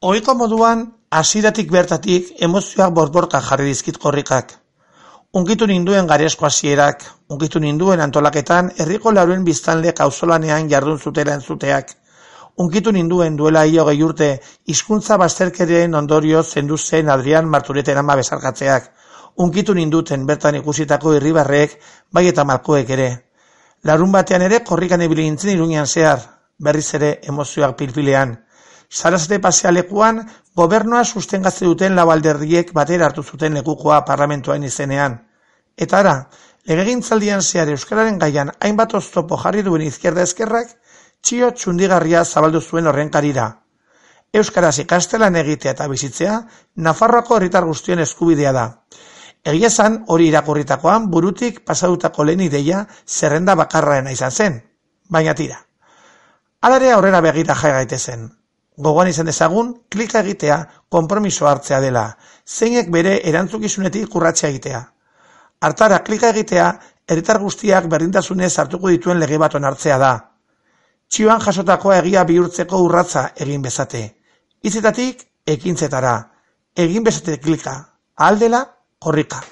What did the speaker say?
Ohiko moduan, hasieratik bertatik emozioak borborka jarri dizkit korrikak. Unkitu ninduen garesko hasierak, unkitu ninduen antolaketan herriko lauruen biztanlek auzolanean jardun zutela entzuteak. Unkitu ninduen duela 20 urte hizkuntza bazterkeriaren ondorio zendu zen Adrian Martureten ama besarkatzeak. Unkitu ninduten bertan ikusitako irribarrek, bai eta malkoek ere. Larun batean ere korrikan ibili nintzen Iruñean zehar, berriz ere emozioak pilpilean. Sarasate pasealekuan, gobernua sustengatze duten lau alderdiek batera hartu zuten lekukoa parlamentuaren izenean. Eta ara, legegintzaldian zehar euskararen gaian hainbat oztopo jarri duen izquierda eskerrak, txio txundigarria zabaldu zuen horren karira. Euskaraz ikastelan egitea eta bizitzea, Nafarroako herritar guztien eskubidea da. Egia esan, hori irakurritakoan burutik pasadutako lehen ideia zerrenda bakarraena izan zen, baina tira. Alare aurrera begira jai gaitezen. Gogoan izan dezagun, klika egitea, konpromiso hartzea dela, zeinek bere erantzukizunetik urratsa egitea. Hartara klika egitea, herritar guztiak berdintasunez hartuko dituen lege bat onartzea da. Txioan jasotakoa egia bihurtzeko urratsa egin bezate. Hitzetatik ekintzetara. Egin bezate klika. Ahal dela, korrika.